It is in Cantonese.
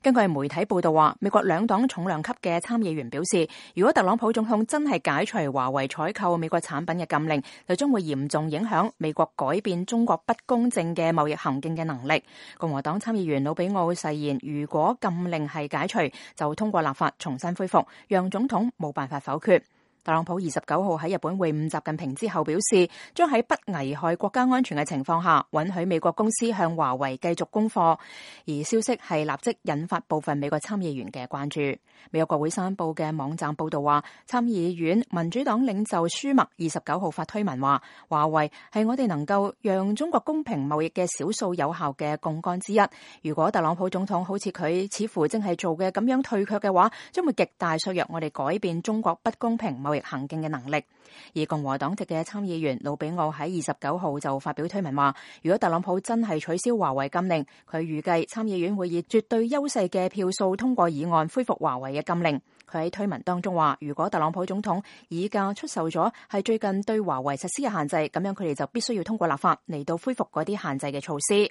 根據媒體報道話，美國兩黨重量級嘅參議員表示，如果特朗普總統真係解除華為採購美國產品嘅禁令，就將會嚴重影響美國改變中國不公正嘅貿易行徑嘅能力。共和黨參議員魯比奧誓言，如果禁令係解除，就通過立法重新恢復，讓總統冇辦法否決。特朗普29號喺日本會晤習近平之後表示，將喺不危害國家安全嘅情況下，允許美國公司向華為繼續供貨。而消息係立即引發部分美國參議員嘅關注。美國國會山報嘅網站報道話，參議院民主黨領袖舒默29號發推文話，華為係我哋能夠讓中國公平貿易嘅少數有效嘅槓桿之一。如果特朗普總統好似佢似乎正係做嘅咁樣退卻嘅話，將會極大削弱我哋改變中國不公平貿易行徑嘅能力。而共和黨籍嘅參議員魯比奧喺29號就發表推文話，如果特朗普真係取消華為禁令，佢預計參議院會以絕對優勢嘅票數通過議案恢復華為嘅禁令。佢喺推文當中話，如果特朗普總統議價出售咗係最近對華為實施嘅限制，咁樣佢哋就必須要通過立法嚟到恢復嗰啲限制嘅措施。